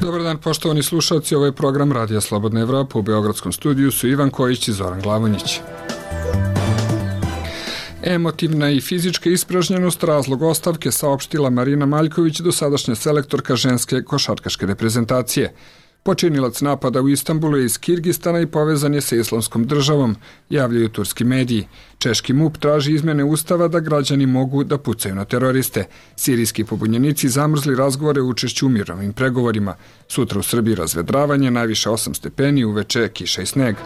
Dobar dan, poštovani slušalci, ovo je program Radija Slobodna Evropa. U Beogradskom studiju su Ivan Kojić i Zoran Glavonjić. Emotivna i fizička ispražnjenost razlog ostavke saopštila Marina Maljković, dosadašnja selektorka ženske košarkaške reprezentacije. Počinilac napada u Istanbulu je iz Kirgistana i povezan je sa Islamskom državom, javljaju turski mediji. Češki MUP traži izmjene ustava da građani mogu da pucaju na teroriste. Sirijski pobunjenici zamrzli razgovore o učešću u mirovnim pregovorima. Sutra u Srbiji razvedravanje, najviše 8 stepeni, uveče kiša i sneg.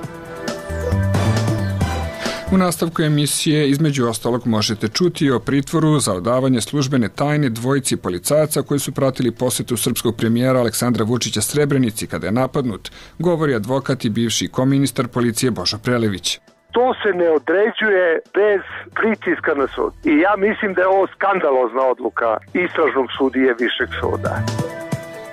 U nastavku emisije između ostalog možete čuti o pritvoru za odavanje službene tajne dvojici policajaca koji su pratili posetu srpskog premijera Aleksandra Vučića Srebrenici kada je napadnut, govori advokat i bivši koministar policije Božo Prelević. To se ne određuje bez pritiska na sud. I ja mislim da je ovo skandalozna odluka istražnog sudije Višeg suda.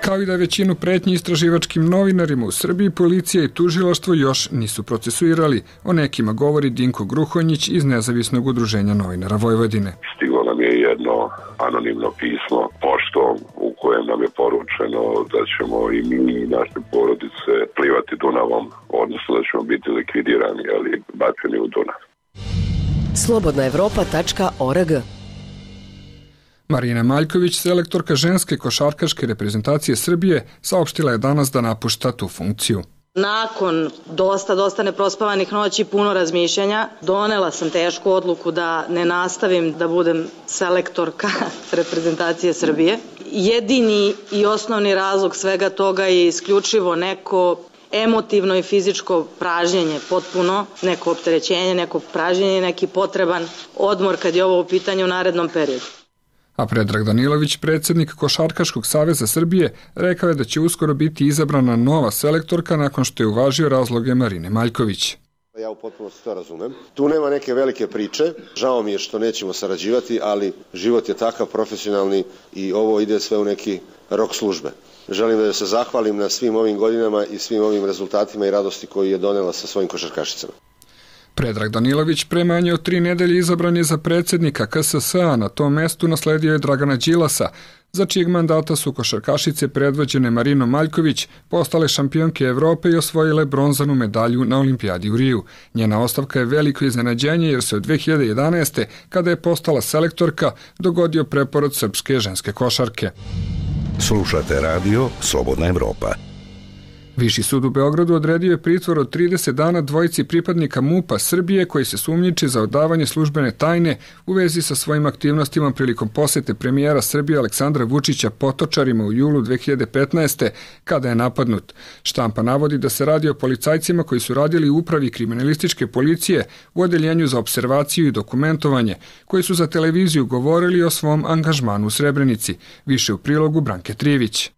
Kao i da većinu pretnji istraživačkim novinarima u Srbiji, policija i tužilaštvo još nisu procesuirali. O nekima govori Dinko Gruhonjić iz Nezavisnog udruženja novinara Vojvodine. Stiglo nam je jedno anonimno pismo poštom u kojem nam je poručeno da ćemo i mi i naše porodice plivati Dunavom, odnosno da ćemo biti likvidirani, ali bačeni u Dunav. slobodnaevropa.org. Marina Maljković, selektorka ženske košarkaške reprezentacije Srbije, saopštila je danas da napušta tu funkciju. Nakon dosta neprospavanih noći, puno razmišljanja, donela sam tešku odluku da ne nastavim da budem selektorka reprezentacije Srbije. Jedini i osnovni razlog svega toga je isključivo neko emotivno i fizičko pražnjenje, potpuno neko opterećenje, neko pražnjenje, neki potreban odmor kad je ovo u pitanju u narednom periodu. A Predrag Danilović, predsjednik Košarkaškog saveza Srbije, rekao je da će uskoro biti izabrana nova selektorka nakon što je uvažio razloge Marine Maljković. Ja u potpunosti to razumem. Tu nema neke velike priče. Žao mi je što nećemo sarađivati, ali život je takav profesionalni i ovo ide sve u neki rok službe. Želim da se zahvalim na svim ovim godinama i svim ovim rezultatima i radosti koju je donela sa svojim košarkašicama. Predrag Danilović pre manje od 3 nedelje izabran je za predsjednika KSS-a, na tom mestu nasledio je Dragana Đilasa, za čijeg mandata su košarkašice predvođene Marinom Maljković postale šampionke Evrope i osvojile bronzanu medalju na olimpijadi u Riju. Njena ostavka je veliko iznenađenje jer se od 2011. kada je postala selektorka dogodio preporod srpske ženske košarke. Slušate radio Slobodna Evropa. Viši sud u Beogradu odredio je pritvor od 30 dana dvojici pripadnika MUP-a Srbije koji se sumnjiči za odavanje službene tajne u vezi sa svojim aktivnostima prilikom posete premijera Srbije Aleksandra Vučića Potočarima u julu 2015. kada je napadnut. Štampa navodi da se radi o policajcima koji su radili u upravi kriminalističke policije u odeljenju za observaciju i dokumentovanje, koji su za televiziju govorili o svom angažmanu u Srebrenici. Više u prilogu Branke Trivić.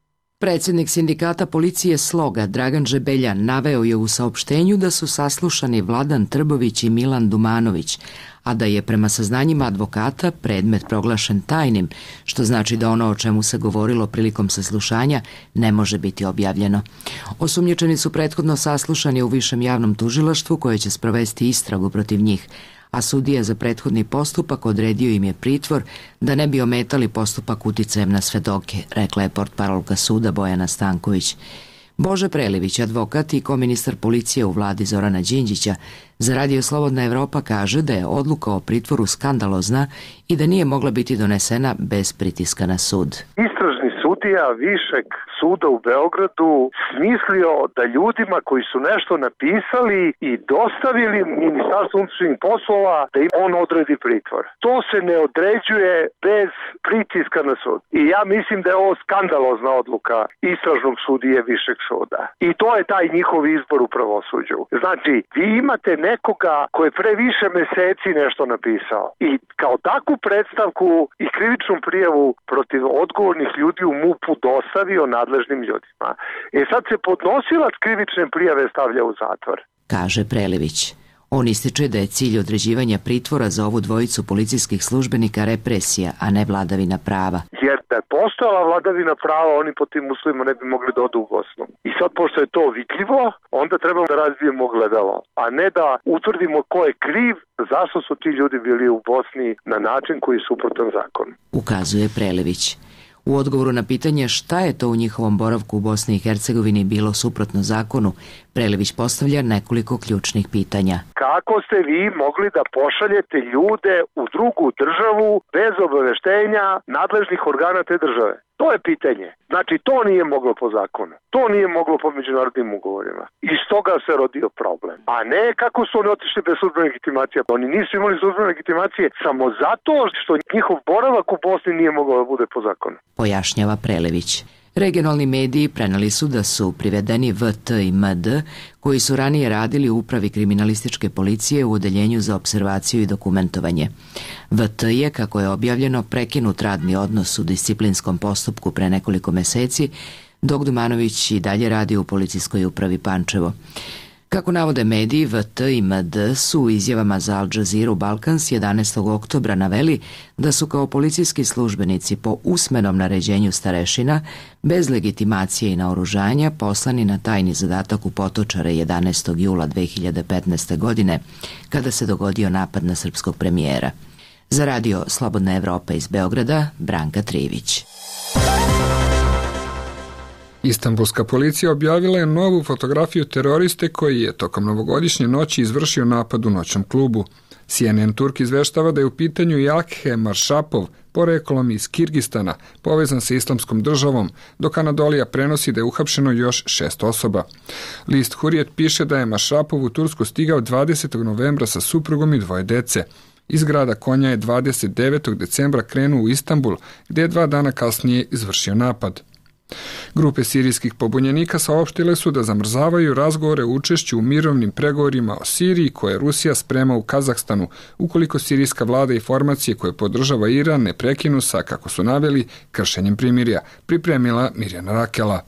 Predsjednik sindikata policije Sloga Dragan Žebeljan naveo je u saopštenju da su saslušani Vladan Trbović i Milan Dumanović, a da je prema saznanjima advokata predmet proglašen tajnim, što znači da ono o čemu se govorilo prilikom saslušanja ne može biti objavljeno. Osumnjičeni su prethodno saslušani u Višem javnom tužilaštvu koje će sprovesti istragu protiv njih, a sudija za prethodni postupak odredio im je pritvor da ne bi ometali postupak uticajem na svedoke, rekla je portparolka suda Bojana Stanković. Bože Prelević, advokat i koministar policije u vladi Zorana Đinđića, za Radio Slobodna Evropa kaže da je odluka o pritvoru skandalozna i da nije mogla biti donesena bez pritiska na sud. Istražni sudija Višeg suda u Beogradu smislio da ljudima koji su nešto napisali i dostavili Ministarstvu unutrašnjih poslova da im on odredi pritvor. To se ne određuje bez pritiska na sud. I ja mislim da je ovo skandalozna odluka istražnog sudije Višeg suda. I to je taj njihov izbor u pravosuđu. Znači, vi imate nekoga koji je pre više meseci nešto napisao i kao takvu predstavku i krivičnu prijavu protiv odgovornih ljudi u MUP-u dostavio nadležnim ljudima. Sad se podnosilac krivične prijave stavlja u zatvor. Kaže Prelević. On ističe da je cilj određivanja pritvora za ovu dvojicu policijskih službenika represija, a ne vladavina prava. Jer da je postojala vladavina prava, oni po tim uslovima ne bi mogli da odu u Bosnu. I sad, pošto je to vidljivo, onda trebamo da razvijemo gledalo, a ne da utvrdimo ko je kriv, zašto su ti ljudi bili u Bosni na način koji je suprotan zakonu. Ukazuje Prelević. U odgovoru na pitanje šta je to u njihovom boravku u Bosni i Hercegovini bilo suprotno zakonu, Prelević postavlja nekoliko ključnih pitanja. Kako ste vi mogli da pošaljete ljude u drugu državu bez obaveštenja nadležnih organa te države? To je pitanje. Znači, to nije moglo po zakonu. To nije moglo po međunarodnim ugovorima. Iz toga se rodio problem. A ne kako su oni otišli bez službene legitimacije. Oni nisu imali službene legitimacije samo zato što njihov boravak u Bosni nije mogao da bude po zakonu. Pojašnjava Prelević. Regionalni mediji preneli su da su privedeni VT i MD, koji su ranije radili u upravi kriminalističke policije u odeljenju za observaciju i dokumentovanje. VT je, kako je objavljeno, prekinut radni odnos u disciplinskom postupku pre nekoliko meseci, dok Dumanović i dalje radi u policijskoj upravi Pančevo. Kako navode mediji, VT i MD su u izjavama za Al Jazeera Balkans 11. oktobra naveli da su kao policijski službenici po usmenom naređenju starešina, bez legitimacije i naoružanja, poslani na tajni zadatak u Potočare 11. jula 2015. godine, kada se dogodio napad na srpskog premijera. Za radio Slobodna Evropa iz Beograda, Branka Trivić. Istanbulska policija objavila je novu fotografiju teroriste koji je tokom novogodišnje noći izvršio napad u noćnom klubu. CNN Turk izveštava da je u pitanju Jakhe Maršapov, poreklom iz Kirgistana, povezan sa islamskom državom, dok Anadolija prenosi da je uhapšeno još 6 osoba. List Hurrijet piše da je Maršapov u Tursku stigao 20. novembra sa suprugom i 2 dece. Iz grada Konja je 29. decembra krenuo u Istanbul, gdje je 2 dana kasnije izvršio napad. Grupe sirijskih pobunjenika saopštile su da zamrzavaju razgovore o učešću u mirovnim pregovorima o Siriji koje Rusija sprema u Kazahstanu, ukoliko sirijska vlada i formacije koje podržava Iran ne prekinu sa, kako su naveli, kršenjem primirja, pripremila Mirjana Rakela.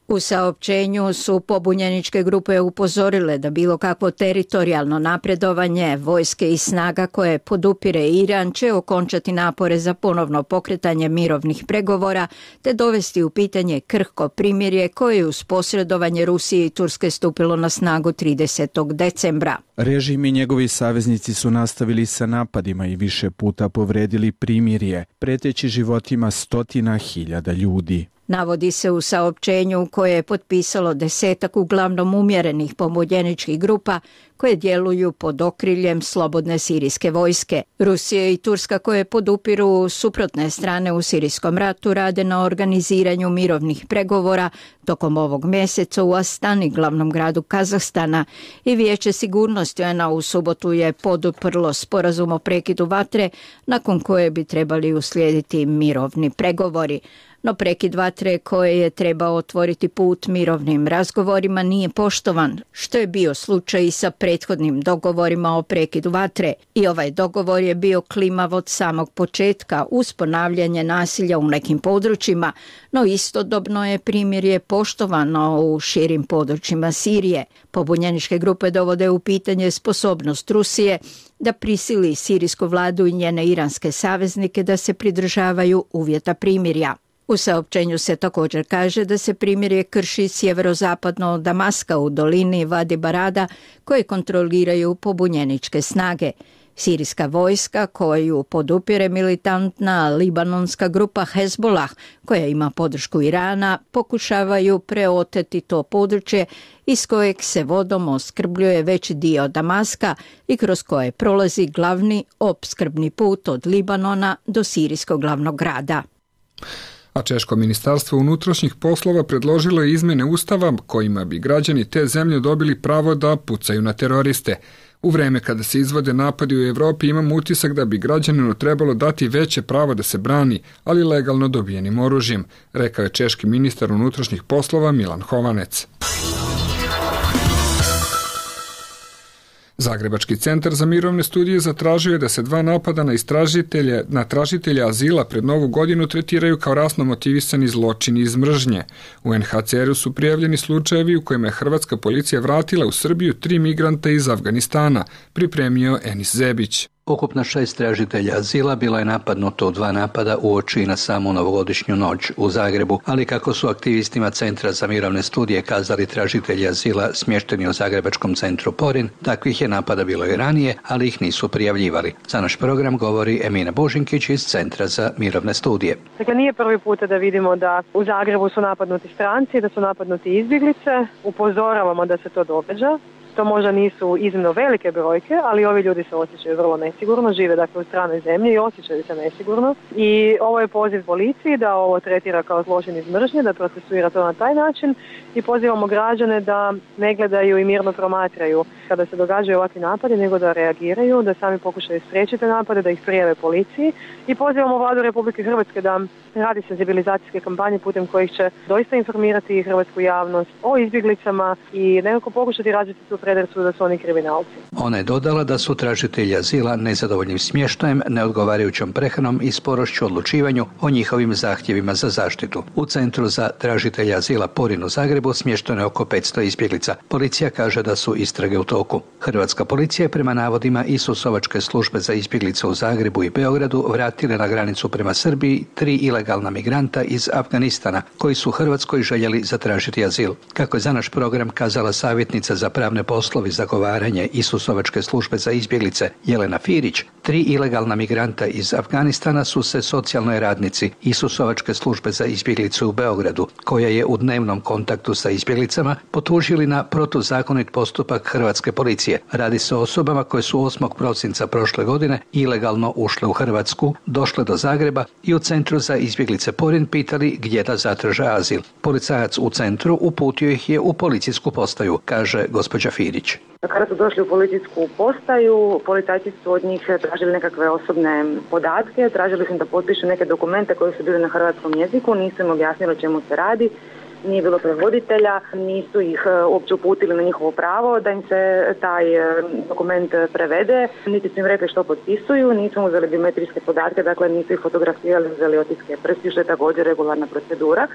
U saopćenju su pobunjeničke grupe upozorile da bilo kakvo teritorijalno napredovanje vojske i snaga koje podupire Iran će okončati napore za ponovno pokretanje mirovnih pregovora te dovesti u pitanje krhko primirje koje je uz posredovanje Rusije i Turske stupilo na snagu 30. decembra. Režim i njegovi saveznici su nastavili sa napadima i više puta povredili primirje, preteći životima 100.000 ljudi. Navodi se u saopćenju koje je potpisalo 10 uglavnom umjerenih pobunjeničkih grupa koje djeluju pod okriljem slobodne sirijske vojske. Rusija i Turska koje podupiru suprotne strane u sirijskom ratu rade na organiziranju mirovnih pregovora tokom ovog mjeseca u Astani, glavnom gradu Kazahstana, i Vijeće sigurnosti UN-a u subotu je poduprlo sporazum o prekidu vatre nakon koje bi trebali uslijediti mirovni pregovori. No prekid vatre koje je trebao otvoriti put mirovnim razgovorima nije poštovan, što je bio slučaj i sa prethodnim dogovorima o prekidu vatre. I ovaj dogovor je bio klimav od samog početka uz ponavljanje nasilja u nekim područjima, no istodobno je primirje poštovano u širim područjima Sirije. Pobunjeničke grupe dovode u pitanje sposobnost Rusije da prisili sirijsku vladu i njene iranske saveznike da se pridržavaju uvjeta primirja. U saopćenju se također kaže da se primirje krši sjeverozapadno od Damaska u dolini Vadi Barada koje kontroliraju pobunjeničke snage. Sirijska vojska koju podupire militantna libanonska grupa Hezbollah koja ima podršku Irana pokušavaju preoteti to područje iz kojeg se vodom opskrbljuje veći dio Damaska i kroz koje prolazi glavni opskrbni put od Libanona do sirijskog glavnog grada. A Češko ministarstvo unutrašnjih poslova predložilo je izmjene ustava kojima bi građani te zemlje dobili pravo da pucaju na teroriste. U vreme kada se izvode napadi u Evropi imamo utisak da bi građaninu trebalo dati veće pravo da se brani, ali legalno dobijenim oružjem, rekao je češki ministar unutrašnjih poslova Milan Hovanec. Zagrebački centar za mirovne studije zatražio je da se 2 napada na tražitelja azila pred Novu godinu tretiraju kao rasno motivisani zločini iz mržnje. U UNHCR-u su prijavljeni slučajevi u kojima je hrvatska policija vratila u Srbiju 3 migranta iz Afganistana, pripremio Enis Zebić. Ukupno 6 tražitelja azila bilo je napadnuto u 2 napada uoči na samu novogodišnju noć u Zagrebu, ali kako su aktivistima Centra za mirovne studije kazali tražitelji azila smješteni u zagrebačkom centru Porin, takvih je napada bilo i ranije, ali ih nisu prijavljivali. Za naš program govori Emina Božinkić iz Centra za mirovne studije. Dakle, nije prvi puta da vidimo da u Zagrebu su napadnuti stranci, da su napadnuti izbjeglice. Upozoravamo da se to događa. To možda nisu iznimno velike brojke, ali ovi ljudi se osjećaju vrlo nesigurno, žive dakle u stranoj zemlji i osjećaju se nesigurno. I ovo je poziv policiji da ovo tretira kao zločin iz mržnje, da procesuira to na taj način i pozivamo građane da ne gledaju i mirno promatraju kada se događaju ovakvi napadi, nego da reagiraju, da sami pokušaju spriječiti napade, da ih prijave policiji i pozivamo Vladu Republike Hrvatske da radi senzibilizacijske kampanje putem kojih će doista informirati hrvatsku javnost o izbjeglicama i nekako pokušati razviti tu predrasudu da su oni kriminalci. Ona je dodala da su tražitelji azila nezadovoljnim smještajem, neodgovarajućom prehranom i sporošću odlučivanju o njihovim zahtjevima za zaštitu. U Centru za tražitelja azila Porin u Zagrebu smješteno je oko 500 izbjeglica. Policija kaže da su istrage u toku. Hrvatska policija je prema navodima Isusovačke službe za izbjeglice u Zagrebu i Beogradu vratile na granicu prema Srbiji 3 ilegalna migranta iz Afganistana koji su Hrvatskoj željeli zatražiti azil. Kako je za naš program kazala savjetnica za pravne poslove i zagovaranje Isusovačke službe za izbjeglice Jelena Firić, 3 ilegalna migranta iz Afganistana su se socijalnoj radnici Isusovačke službe za izbjeglice u Beogradu, koja je u dnevnom kontaktu sa izbjeglicama, potužili na protuzakonit postupak hrvatske policije. Radi se o osobama koje su 8. prosinca prošle godine ilegalno ušle u Hrvatsku, došle do Zagreba i u Centru za izbjeglice Porin pitali gdje da zatraže azil. Policajac u centru uputio ih je u policijsku postaju, kaže gospođa Firić. Kada su došli u policijsku postaju, policajci su od njih tražili nekakve osobne podatke, tražili su im da potpišu neke dokumente koji su bili na hrvatskom jeziku, nisu im objasnili o čemu se radi, nije bilo prevoditelja, nisu ih uopće uputili na njihovo pravo da im se taj dokument prevede, niti su im rekli što potpisuju, nisu uzeli biometrijske podatke, dakle nisu ih fotografirali, uzeli otiske prstiju, što je također regularna procedura,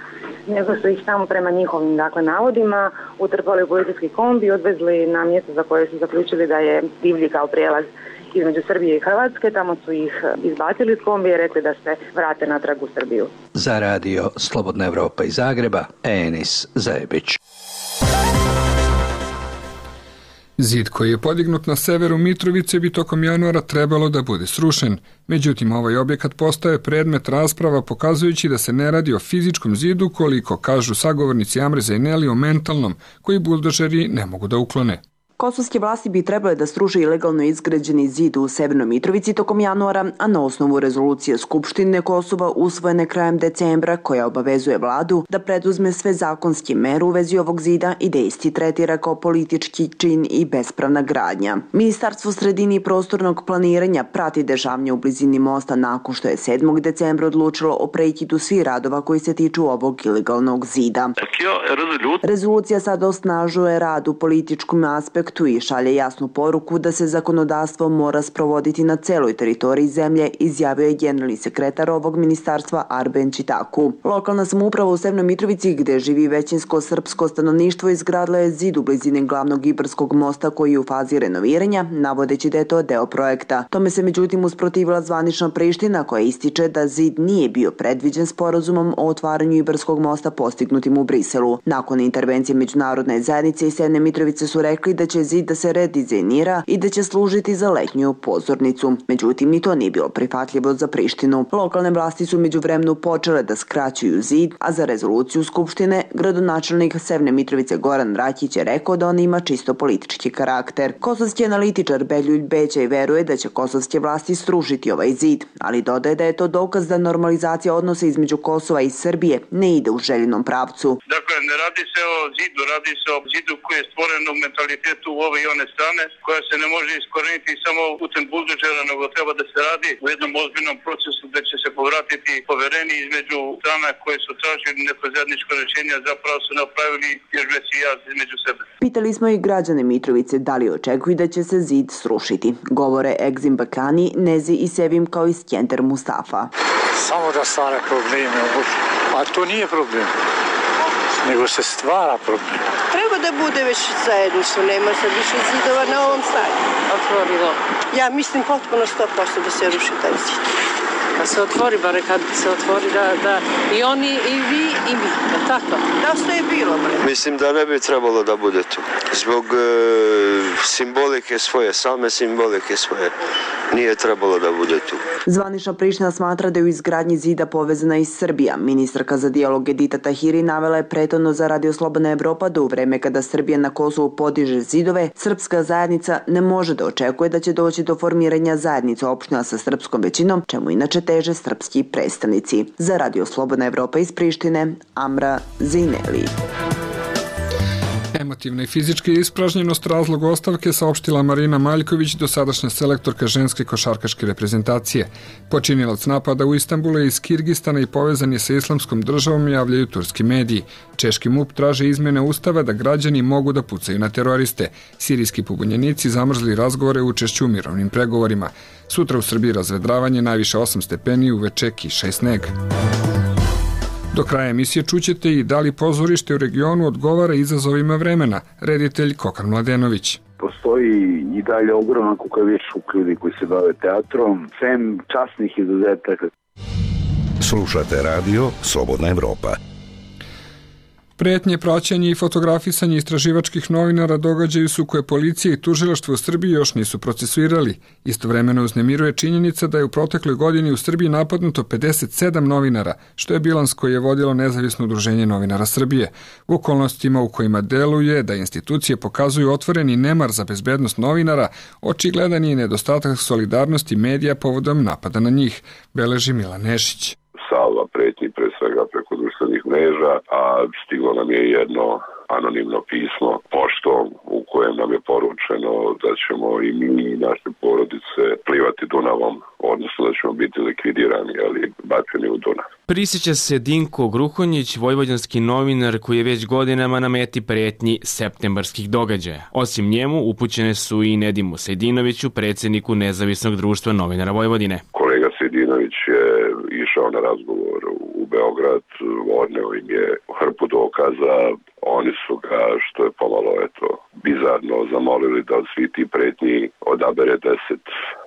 nego su ih samo prema njihovim navodima utrpali u policijski kombi i odvezli na mjesto za koje su zaključili da je divlji kao prijelaz između Srbije i Hrvatske. Tamo su ih izbacili iz kombija i rekli da se vrate natrag u Srbiju. Za radio Slobodna Evropa iz Zagreba, Enis Zajebić. Zid koji je podignut na severu Mitrovice bi tokom januara trebalo da bude srušen. Međutim, ovaj objekat postaje predmet rasprava pokazujući da se ne radi o fizičkom zidu koliko kažu sagovornici Amre Zaineli o mentalnom koji buldožeri ne mogu da uklone. Kosovske vlasti bi trebale da sruše ilegalno izgrađeni zid u Severnoj Mitrovici tokom januara, a na osnovu rezolucije Skupštine Kosova usvojene krajem decembra koja obavezuje vladu da preduzme sve zakonske mere u vezi ovog zida i da isti tretira kao politički čin i bespravna gradnja. Ministarstvo sredine i prostornog planiranja prati dešavanje u blizini mosta nakon što je 7. decembra odlučilo o prekidu svih radova koji se tiču ovog ilegalnog zida. Rezolucija sad osnažuje rad u političkom aspektu i šalje jasnu poruku da se zakonodavstvo mora sprovoditi na celoj teritoriji zemlje, izjavio je generalni sekretar ovog ministarstva Arben Čitaku. Lokalna samouprava u Severnoj Mitrovici, gde živi većinsko srpsko stanovništvo, izgradila je zid u blizini glavnog Ibarskog mosta koji je u fazi renoviranja, navodeći da je to deo projekta. Tome se međutim usprotivila zvanična Priština koja ističe da zid nije bio predviđen sporazumom o otvaranju Ibarskog mosta postignutim u Briselu. Nakon intervencije međunarodne zajednice i Severne Mitrovice su rekli da će zid da se redizajnira i da će služiti za letnju pozornicu. Međutim, ni to nije bilo prihvatljivo za Prištinu. Lokalne vlasti su međuvremenu počele da skraćuju zid, a za rezoluciju Skupštine gradonačelnik Severne Mitrovice Goran Rakić je rekao da on ima čisto politički karakter. Kosovski analitičar Beljulj Bećaj veruje da će kosovske vlasti srušiti ovaj zid, ali dodaje da je to dokaz da normalizacija odnosa između Kosova i Srbije ne ide u željenom pravcu. Dakle, ne radi se o zidu, radi se o zidu koji je stvoren u mentalitetu u ove i one strane, koja se ne može iskoreniti samo putem buldožera, nego treba da se radi u jednom ozbiljnom procesu gde će se povratiti poverenje između strana koje su tražili neko zajedničko rješenje, zapravo su napravili još veći jaz između sebe. Pitali smo i građane Mitrovice da li očekuju da će se zid srušiti. Govore Egzim Bakani, Nezi i Sevim kao i Skender Mustafa. Samo da stvara probleme, a to nije problem. nego se stvara problem. Treba da bude već zajedništvo, nema sad više zidova na ovom stadionu. Otvorilo. Ja mislim potpuno 100% da se ruši taj zid. Da se otvori, bare kad se otvori da i oni, i vi, i mi, tako? Da što je bilo, bre? Mislim da ne bi trebalo da bude tu. Zbog simbolike svoje, same simbolike svoje, nije trebalo da bude tu. Zvanična Priština smatra da je u izgradnji zida povezana i Srbija. Ministarka za dijalog Edita Tahiri navela je prethodno za Radio Slobodna Evropa da u vreme kada Srbija na Kosovu podiže zidove, srpska zajednica ne može da očekuje da će doći do formiranja zajednica opština sa srpskom većinom, čemu inače teže srpski predstavnici. Za Radio Slobodna Evropa iz Prištine, Amra Zineli. Emotivna i fizička ispražnjenost razlog ostavke saopštila Marina Maljković, dosadašnja selektorka ženske košarkaške reprezentacije. Počinilac napada u Istanbulu je iz Kirgistana i povezan je sa islamskom državom, javljaju turski mediji. Češki MUP traže izmjene ustava da građani mogu da pucaju na teroriste. Sirijski pobunjenici zamrzli razgovore u učešću u mirovnim pregovorima. Sutra u Srbiji razvedravanje, najviše 8 stepeni, uveče kiša i sneg. Do kraja emisije čućete i da li pozorište u regionu odgovara izazovima vremena, reditelj Kokan Mladenović. Postoji i dalje ogroman kukavičluk ljudi koji se bave teatrom, sem časnih izuzetaka. Slušate radio Slobodna Evropa. Pretnje, praćenje i fotografisanje istraživačkih novinara događaju su koje policija i tužilaštvo u Srbiji još nisu procesuirali. Istovremeno uznemiruje činjenica da je u protekloj godini u Srbiji napadnuto 57 novinara, što je bilans koji je vodilo Nezavisno udruženje novinara Srbije. U okolnostima u kojima deluje da institucije pokazuju otvoreni nemar za bezbednost novinara, očigledan je nedostatak solidarnosti medija povodom napada na njih, beleži Milan Nešić. Salva pretnji pre svega preko društvenih mreža, a stiglo nam je jedno anonimno pismo poštom u kojem nam je poručeno da ćemo i mi i naše porodice plivati Dunavom, odnosno da ćemo biti likvidirani, ali bačeni u Dunav. Prisjeća se Dinko Gruhonjić, vojvođanski novinar koji je već godinama na meti pretnji septembarskih događaja. Osim njemu upućene su i Nedimu Sejdinoviću, predsjedniku Nezavisnog društva novinara Vojvodine. Kolega Sejdinović je išao na razgovor u Beograd, odneo im je hrpu dokaza, oni su ga, što je pomalo bizarno, zamolili da od svih ti pretnji odabere 10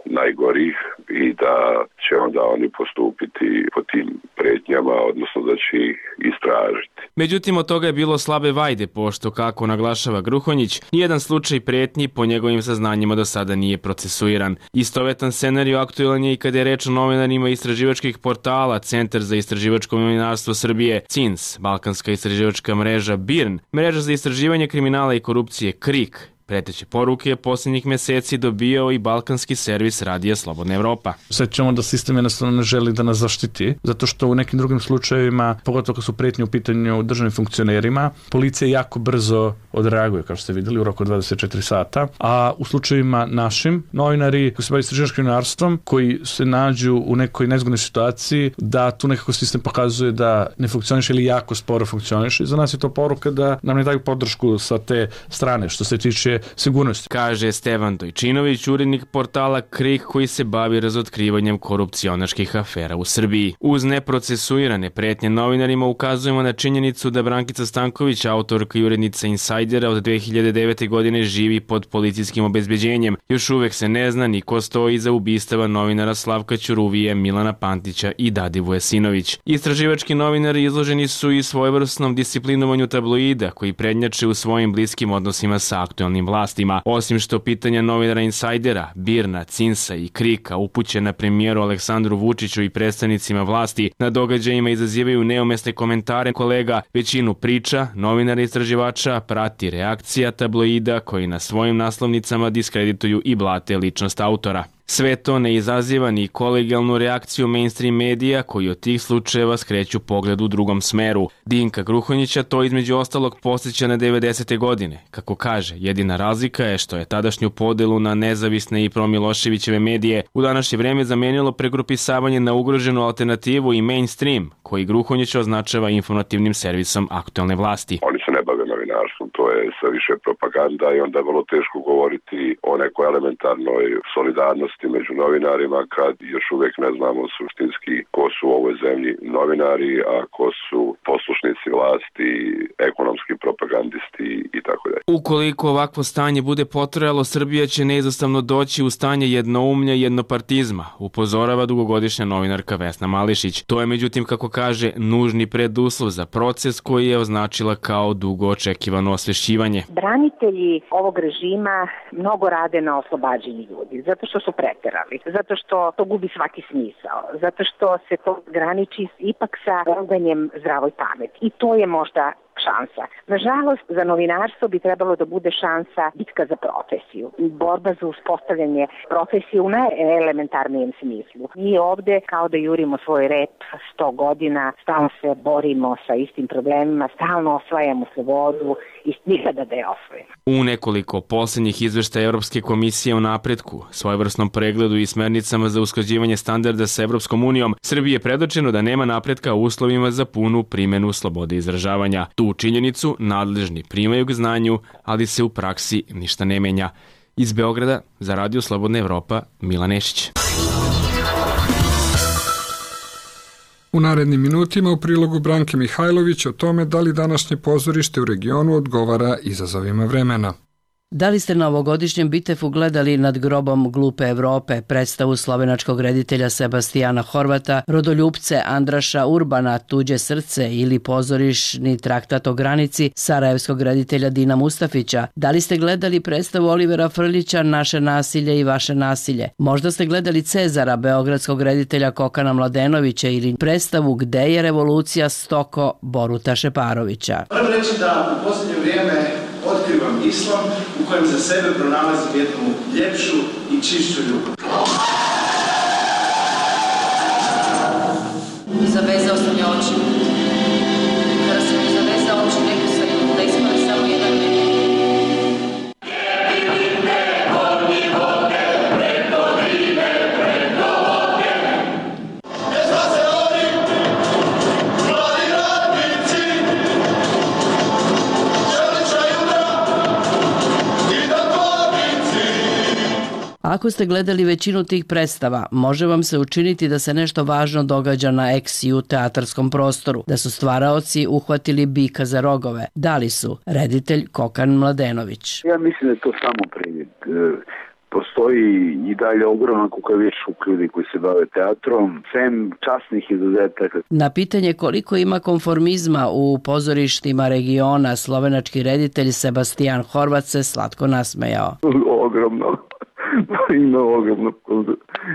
najgorih i da će onda oni postupiti po tim pretnjama, odnosno da će ih istražiti. Međutim, od toga je bilo slabe vajde, pošto, kako naglašava Gruhonjić, nijedan slučaj pretnji po njegovim saznanjima do sada nije procesuiran. Istovetan scenarij aktuelan je i kada je reč o novinarima istraživačkih portala Centar za istraživačko novinarstvo Srbije, CINS, Balkanska istraživačka mreža BIRN, Mreža za istraživanje kriminala i korupcije KRIK. Preteće poruke posljednjih mjeseci dobijao i balkanski servis Radija Slobodna Evropa. Osjećamo da sistem jednostavno ne želi da nas zaštiti, zato što u nekim drugim slučajevima, pogotovo kad su pretnje u pitanju državnim funkcionerima, policija jako brzo odreaguje, kao što ste vidjeli, u roku 24 sata, a u slučajevima našim, novinari koji se bave istraživačkim novinarstvom, koji se nađu u nekoj nezgodnoj situaciji, da tu nekako sistem pokazuje da ne funkcioniše ili jako sporo funkcioniše. Za nas je to poruka da nam ne daju podršku sa te strane, što se tiče sigurnosti. Kaže Stevan Dojčinović, urednik portala KRIK koji se bavi razotkrivanjem korupcionaških afera u Srbiji. Uz neprocesuirane pretnje novinarima ukazujemo na činjenicu da Brankica Stanković, autorka i urednica Insajdera, od 2009. godine živi pod policijskim obezbeđenjem. Još uvek se ne zna ni ko stoji iza ubistava novinara Slavka Ćuruvije, Milana Pantića i Dadivoje Sinović. Istraživački novinari izloženi su i svojevrsnom disciplinovanju tabloida koji prednjače u svojim bliskim odnosima sa aktuelnim vlastima. Osim što pitanja novinara Insajdera, BIRN-a, CINS-a i KRIK-a upućena premijeru Aleksandru Vučiću i predstavnicima vlasti na događajima izazivaju neumesne komentare kolega, većinu priča, novinara istraživača prati reakcija tabloida koji na svojim naslovnicama diskredituju i blate ličnost autora. Sve to ne izaziva ni kolegijalnu reakciju mainstream medija koji od tih slučajeva skreću pogled u drugom smeru. Dinka Gruhonjića to između ostalog podsjeća na 90. godine. Kako kaže, jedina razlika je što je tadašnju podelu na nezavisne i promiloševićeve medije u današnje vreme zamenilo pregrupisavanje na ugroženu alternativu i mainstream, koji Gruhonjić označava informativnim servisom aktuelne vlasti. Oni se ne bave novinarstvom, to je sve više propaganda i onda je vrlo teško govoriti o nekoj elementarnoj solidarnosti odgovornosti među novinarima kad još uvijek ne znamo suštinski ko su u ovoj zemlji novinari, a ko su poslušnici vlasti, ekonomski propagandisti i tako dalje. Ukoliko ovakvo stanje bude potrajalo, Srbija će neizostavno doći u stanje jednoumlja i jednopartizma, upozorava dugogodišnja novinarka Vesna Mališić. To je međutim, kako kaže, nužni preduslov za proces koji je označila kao dugo očekivano osvešćivanje. Branitelji ovog režima mnogo rade na oslobađanju ljudi, zato što su preterali, zato što to gubi svaki smisao, zato što se to graniči ipak sa roganjem zdravoj pameti. I to je možda šansa. Nažalost, za novinarstvo bi trebalo da bude šansa bitka za profesiju, borba za uspostavljanje profesije u najelementarnijem smislu. Mi ovde kao da jurimo svoj rep 100 godina, stalno se borimo sa istim problemima, stalno osvajamo slobodu i nikada da je osvojimo. U nekoliko posljednjih izveštaja Evropske komisije o napretku, svojevrsnom pregledu i smernicama za usklađivanje standarda sa Evropskom unijom, Srbiji je predočeno da nema napretka u uslovima za punu primjenu slobode izražavanja. Tu činjenicu nadležni primaju k znanju, ali se u praksi ništa ne menja. Iz Beograda za Radio Slobodna Evropa, Milan Nešić. U narednim minutima u prilogu Branke Mihajlović o tome da li današnje pozorište u regionu odgovara izazovima vremena. Da li ste na ovogodišnjem Bitefu gledali Nad grobom glupe Evrope, predstavu slovenačkog reditelja Sebastijana Horvata, rodoljupce Andraša Urbana, Tuđe srce ili pozorišni traktat o granici sarajevskog reditelja Dina Mustafića? Da li ste gledali predstavu Olivera Frljića Naše nasilje i vaše nasilje? Možda ste gledali Cezara beogradskog reditelja Kokana Mladenovića ili predstavu Gde je revolucija Stoko Boruta Šeparovića. Moram reći da u posljednje vrijeme otkrivam islam u kojem za sebe pronalazim jednu ljepšu i čišću ljubav. Zavezao sam je oči. Kada sam mi zavezao oči, neku sam da ispane samo jedan meni. Ako ste gledali većinu tih predstava, može vam se učiniti da se nešto važno događa na ex-ju teatarskom prostoru, da su stvaraoci uhvatili bika za rogove. Da li su? Reditelj Kokan Mladenović. Ja mislim da je to samo privid. Postoji i dalje ogroman kukavičluk ljudi koji se bave teatrom, sem časnih izuzetaka. Na pitanje koliko ima konformizma u pozorištima regiona, slovenački reditelj Sebastijan Horvat se slatko nasmejao. Ogromno. Ima ogromno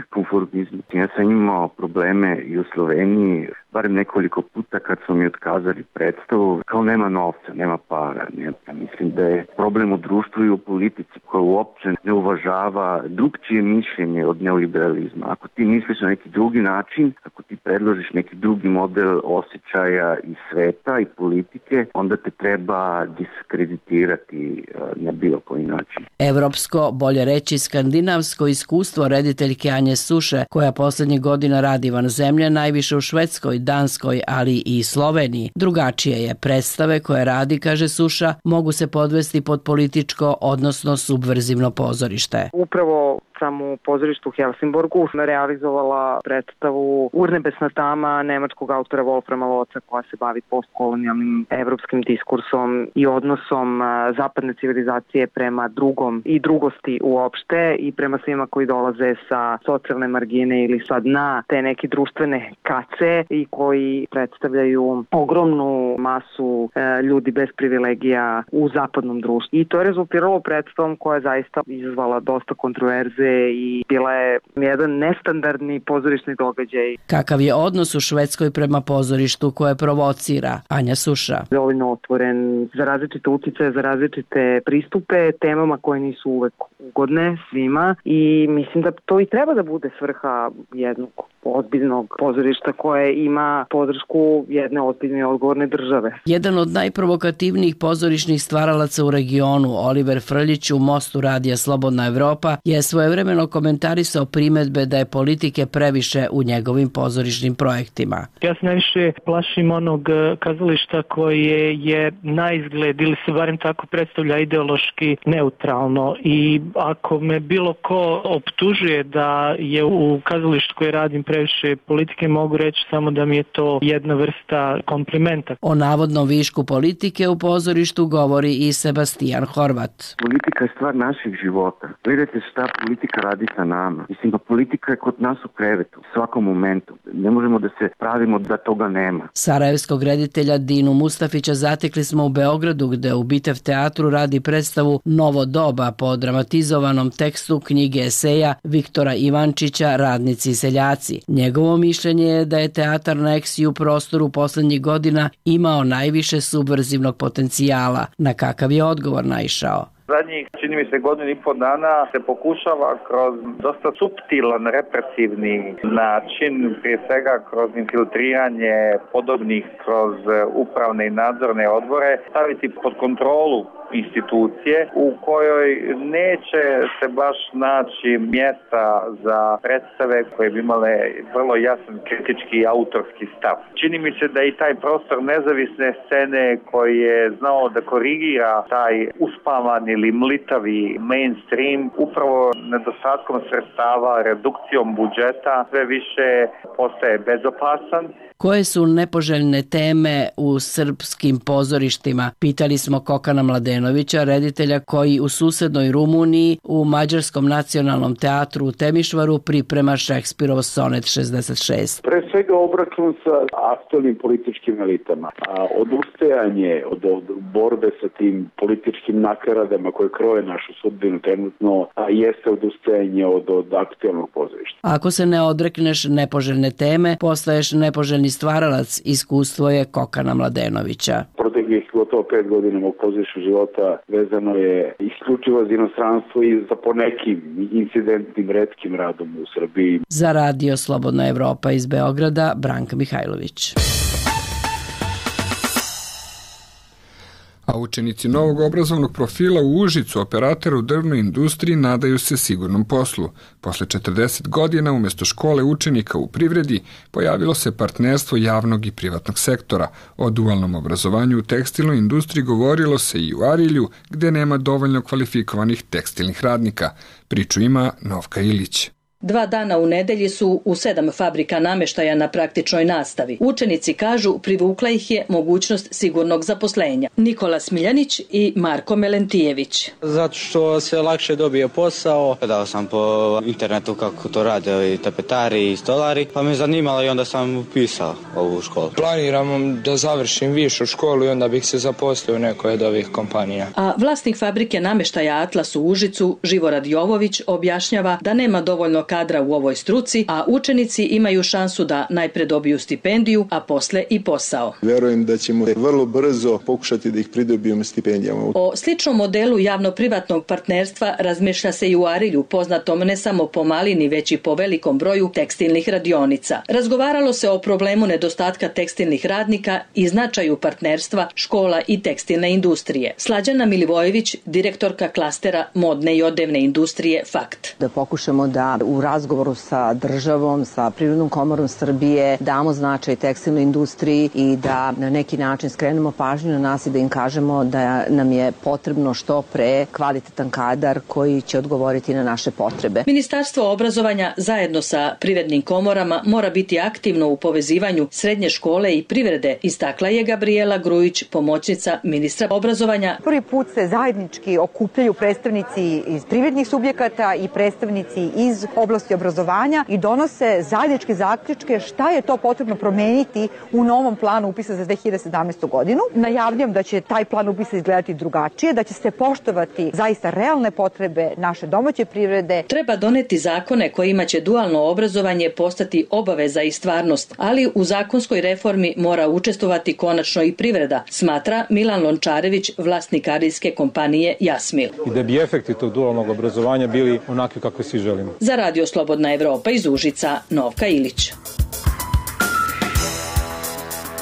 konformizma. Ja sam imao probleme i u Sloveniji, barem nekoliko puta kad su mi otkazali predstavu, kao nema novca, nema para. Ja mislim da je problem u društvu i u politici koja uopće ne uvažava drugčije mišljenje od neoliberalizma. Ako ti misliš na neki drugi način, ako ti predložiš neki drugi model osjećaja i sveta i politike, onda te treba diskreditirati na bilo koji način. Evropsko, bolje reći skandinavsko iskustvo rediteljke Anje Suše, koja poslednjih godina radi van zemlje, najviše u Švedskoj, Danskoj, ali i Sloveniji. Drugačije je. Predstave koje radi, kaže Suša, mogu se podvesti pod političko, odnosno subverzivno pozorište. Upravo sam u pozorištu u Helsingborgu realizovala predstavu Urnebesna tama nemačkog autora Wolframa Loca, koja se bavi postkolonijalnim evropskim diskursom i odnosom zapadne civilizacije prema drugom i drugosti uopšte i prema svima koji dolaze sa socijalne margine ili sa dna te neke društvene kace i koji predstavljaju ogromnu masu ljudi bez privilegija u zapadnom društvu. I to je rezultiralo predstavom koja je zaista izazvala dosta kontroverze i bila je jedan nestandardni pozorišni događaj. Kakav je odnos u Švedskoj prema pozorištu koje provocira? Anja Suša. Dovoljno otvoren za različite uticaje, za različite pristupe temama koje nisu uvek ugodne svima i mislim da to i treba da bude svrha jednog ozbiljnog pozorišta koje ima podršku jedne ozbiljne i odgovorne države. Jedan od najprovokativnijih pozorišnih stvaralaca u regionu, Oliver Frljić u Mostu radija Slobodna Evropa, je svojevrsno istovremeno komentarisao primedbe da je politike previše u njegovim pozorišnim projektima. Ja se najviše plašim onog kazališta koje je na izgled ili se barem tako predstavlja ideološki neutralno, i ako me bilo ko optužuje da je u kazalištu koje radim previše politike, mogu reći samo da mi je to jedna vrsta komplimenta. O navodnom višku politike u pozorištu govori i Sebastijan Horvat. Politika je stvar naših života. Gledajte šta politika radi sa nama. Mislim, pa politika je kod nas u krevetu, u svakom momentu. Ne možemo da se pravimo da toga nema. Sarajevskog reditelja Dinu Mustafića zatekli smo u Beogradu, gde u Bitev teatru radi predstavu Novo doba po dramatizovanom tekstu knjige eseja Viktora Ivančića Radnici i seljaci. Njegovo mišljenje je da je teatar na Eksiju prostoru poslednjih godina imao najviše subverzivnog potencijala. Na kakav je odgovor naišao? Zadnjih, čini mi se, godinu i pol dana se pokušava kroz dosta suptilan, represivni način, prije svega kroz infiltriranje podobnih kroz upravne i nadzorne odbore, staviti pod kontrolu institucije u kojoj neće se baš naći mjesta za predstave koje bi imale vrlo jasan kritički i autorski stav. Čini mi se da i taj prostor nezavisne scene koji je znao da korigira taj uspavan ili mlitavi mainstream upravo nedostatkom sredstava, redukcijom budžeta sve više postaje bezopasan. Koje su nepoželjne teme u srpskim pozorištima? Pitali smo Kokana Mladenovića, reditelja koji u susednoj Rumuniji u Mađarskom nacionalnom teatru u Temišvaru priprema Šekspirov sonet 66. Pre svega obračun sa aktualnim političkim elitama, odustajanje od borbe sa tim političkim nakaradama koje kroje našu sudbinu trenutno, jeste odustajanje od aktualnog pozorišta. Ako se ne odrekneš nepoželjne teme, postaješ nepoželjni stvaralac, iskustvo je Kokana Mladenovića. Proteklih gotovo 5 godina mog pozorišnog života vezano je isključivo za inostranstvo i za ponekim incidentnim retkim radom u Srbiji. Za Radio Slobodna Evropa iz Beograda, Branka Mihajlović. A učenici novog obrazovnog profila u Užicu, operatora u drvnoj industriji, nadaju se sigurnom poslu. Posle 40 godina, umjesto škole učenika u privredi, pojavilo se partnerstvo javnog i privatnog sektora. O dualnom obrazovanju u tekstilnoj industriji govorilo se i u Arilju, gde nema dovoljno kvalifikovanih tekstilnih radnika. Priču ima Novka Ilić. 2 dana u nedelji su u 7 fabrika nameštaja na praktičnoj nastavi. Učenici kažu privukla ih je mogućnost sigurnog zaposlenja. Nikola Smiljanić i Marko Melentijević. Zato što se lakše dobije posao. Gledao sam po internetu kako to rade i tapetari i stolari, pa me zanimalo i onda sam upisao ovu školu. Planiram da završim višu školu i onda bih se zaposlio u nekoj od ovih kompanija. A vlasnik fabrike nameštaja Atlas u Užicu, Živorad Jovović, objašnjava da nema dovoljno kadra u ovoj struci, a učenici imaju šansu da najpre dobiju stipendiju, a posle i posao. Verujem da ćemo vrlo brzo pokušati da ih pridobijemo stipendijama. O sličnom modelu javno-privatnog partnerstva razmišlja se i u Arilju, poznatom ne samo po malini, već i po velikom broju tekstilnih radionica. Razgovaralo se o problemu nedostatka tekstilnih radnika i značaju partnerstva škola i tekstilne industrije. Slađana Milivojević, direktorka klastera modne i odevne industrije FAKT. Da pokušamo da u razgovoru sa državom, sa Privrednom komorom Srbije damo značaj tekstilnoj industriji i da na neki način skrenemo pažnju na nas i da im kažemo da nam je potrebno što pre kvalitetan kadar koji će odgovoriti na naše potrebe. Ministarstvo obrazovanja zajedno sa privrednim komorama mora biti aktivno u povezivanju srednje škole i privrede, istakla je Gabriela Grujić, pomoćnica ministra obrazovanja. Prvi put se zajednički okupljaju predstavnici iz privrednih subjekata i predstavnici iz oblasti obrazovanja i donose zajedničke zaključke šta je to potrebno promeniti u novom planu upisa za 2017. godinu. Najavljam da će taj plan upisa izgledati drugačije, da će se poštovati zaista realne potrebe naše domaće privrede. Treba doneti zakone kojima će dualno obrazovanje postati obaveza i stvarnost, ali u zakonskoj reformi mora učestvovati konačno i privreda, smatra Milan Lončarević, vlasnik arijske kompanije Jasmil. I da bi efekti tog dualnog obrazovanja bili onakvi kako svi želimo. Za Radio Slobodna Evropa iz Užica, Novka Ilić.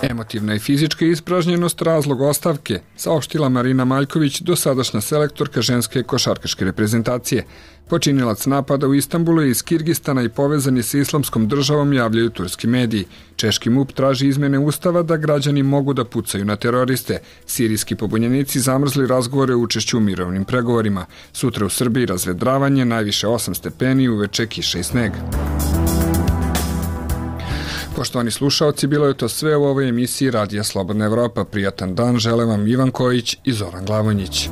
Emotivna i fizička ispražnjenost razlog ostavke, saopštila Marina Maljković, dosadašnja selektorka ženske košarkaške reprezentacije. Počinilac napada u Istanbulu je iz Kirgistana i povezan je sa islamskom državom, javljaju turski mediji. Češki MUP traži izmene ustava da građani mogu da pucaju na teroriste. Sirijski pobunjenici zamrzli razgovore o učešću u mirovnim pregovorima. Sutra u Srbiji razvedravanje, najviše 8 stepeni, uveče kiša i sneg. Poštovani slušaoci, bilo je to sve u ovoj emisiji Radija Slobodna Evropa. Prijatan dan žele vam Ivan Kojić i Zoran Glavonjić.